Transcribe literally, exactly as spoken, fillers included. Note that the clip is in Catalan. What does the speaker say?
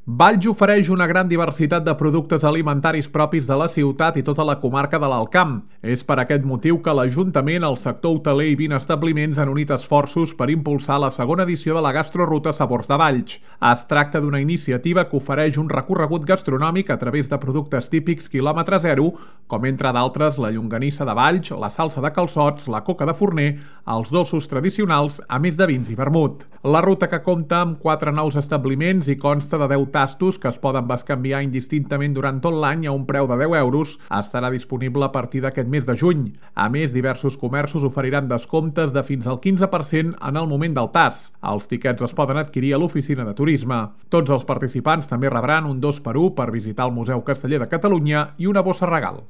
Valls ofereix una gran diversitat de productes alimentaris propis de la ciutat i tota la comarca de l'Alt Camp. És per aquest motiu que l'Ajuntament, el sector hoteler i vint establiments han unit esforços per impulsar la segona edició de la Gastroruta Sabors de Valls. Es tracta d'una iniciativa que ofereix un recorregut gastronòmic a través de productes típics quilòmetre zero, com entre d'altres la llonganissa de Valls, la salsa de calçots, la coca de forner, els dolços tradicionals, a més de vins i vermut. La ruta, que compta amb quatre nous establiments i consta de deu tastos que es poden bescanviar indistintament durant tot l'any a un preu de deu euros, estarà disponible a partir d'aquest mes de juny. A més, diversos comerços oferiran descomptes de fins al quinze per cent en el moment del tast. Els tiquets es poden adquirir a l'oficina de turisme. Tots els participants també rebran un dos per u per visitar el Museu Casteller de Catalunya i una bossa regal.